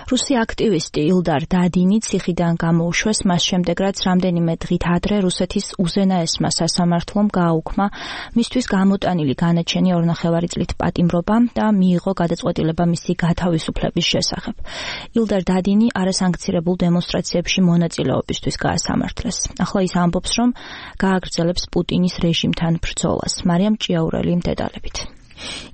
რუსი აქტივისტი ილდარ დადინი ციხიდან გამოუშვეს მას შემდეგ, რაც რამდენიმე დღით ადრე რუსეთის უზენაესმა სასამართლომ გააუქმა მისთვის გამოტანილი განაჩენი 2,5 წლით პატიმრობა და მიიღო გადაწყვეტილება მისი გათავისუფლების შესახებ. ილდარ დადინი არასანქცირებულ დემონსტრაციებში მონაწილეობისთვის გაასამართლეს. ახლა ის ამბობს, რომ გააგრძელებს პუტინის რეჟიმთან ბრძოლას. მარიამ ჭიაურელი დეტალებით.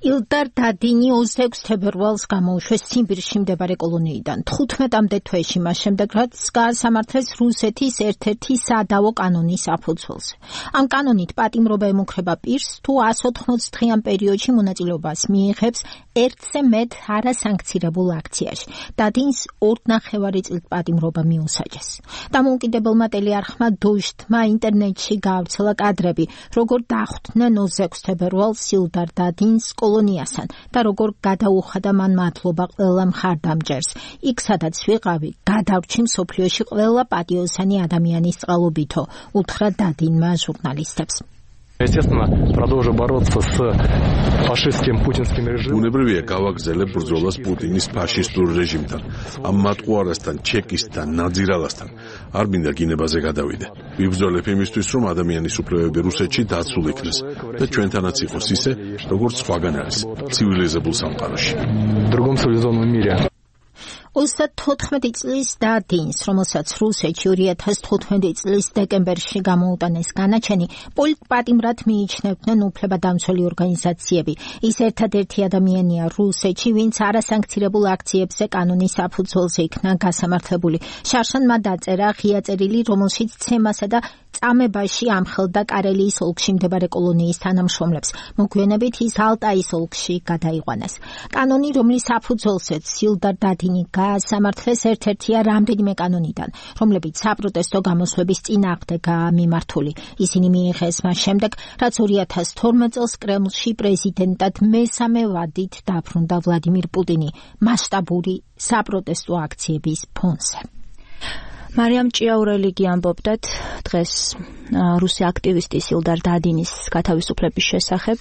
ილდარ დადინი 26 თებერვალს გამოუშვეს ციმბირში მდებარე კოლონიიდან. 15-მდე თვეში მას შემდეგ, რაც გაასამართლეს რუსეთის ერთ-ერთი სადავო კანონის საფუძველზე. ამ კანონით პატიმრობა ემუქრება პირს, თუ 180 დღიან პერიოდში მონაწილეობას მიიღებს ერთზე მეტ არასანქცირებულ აქციაში. დადინს 2,5 წლით პატიმრობა მიუსაჯეს. დამოუკიდებელმა ტელეარხმა დოჟდმა ინტერნეტში გაავრცელა კადრები, როგორ დახვდნენ 26 თებერვალს ილდარ დადინს კოლონიასთან და როგორ გადაუხადა მან მადლობა ყველა მხარდამჭერს. იქ სადაც ვიყავი, გადავრჩი მსოფლიოში ყველა პატიოსანი ადამიანის წყალობითო, უთხრა დადინმა ჟურნალისტებს. Естественно, продолжу бороться с фашистским путинским режимом. Უნებრივია გავაგრძელებ ბრძოლას პუტინის ფაშისტურ რეჟიმთან. ამ მატყუარასთან, ჩეკისთან, ნაძირალასთან არ მინდა გინებაზე გადავიდე. ვიბრძოლებ იმისთვის, რომ ადამიანის უფლებები რუსეთში დაცულ იქნეს და ჩვენთანაც იყოს ისე, როგორც სხვაგან არის, ცივილიზებულ სამყაროში. В другом цивилизованном мире. 34 წლის დადინს, რომელსაც რუსეთში 2015 წლის დეკემბერში გამოუტანეს განაჩენი, პოლიტპატიმრად მიიჩნევდნენ უფლებადამცველი ორგანიზაციები. ის ერთადერთი ადამიანია რუსეთში, ვინც არასანქცირებულ აქციებზე კანონის საფუძველზე იქნა გასამართლებული. შარშანმა დაწერა ღია წერილი, რომელშიც ცემასა და წამებაში ამხელდა კარელიის ოლქში მდებარე კოლონიის თანამშრომლებს. მოგვიანებით ის ალტაის ოლქში გადაიყვანეს. კანონი, რომლის საფუძველზეც ილდარ დადინი გაასამართლეს, ერთ-ერთია რამდენიმე კანონიდან, რომლებიც საპროტესტო გამოსვლების წინააღმდეგაა მიმართული. ისინი მიიღეს მას შემდეგ, რაც 2012 წელს კრემლში პრეზიდენტად მესამე ვადით დაბრუნდა ვლადიმირ პუტინი მასშტაბური საპროტესტო აქციების ფონზე. მარიამ ჭიაურელი ამბობდათ დღეს რუსი აქტივისტის ილდარ დადინის გათავისუფლების შესახებ.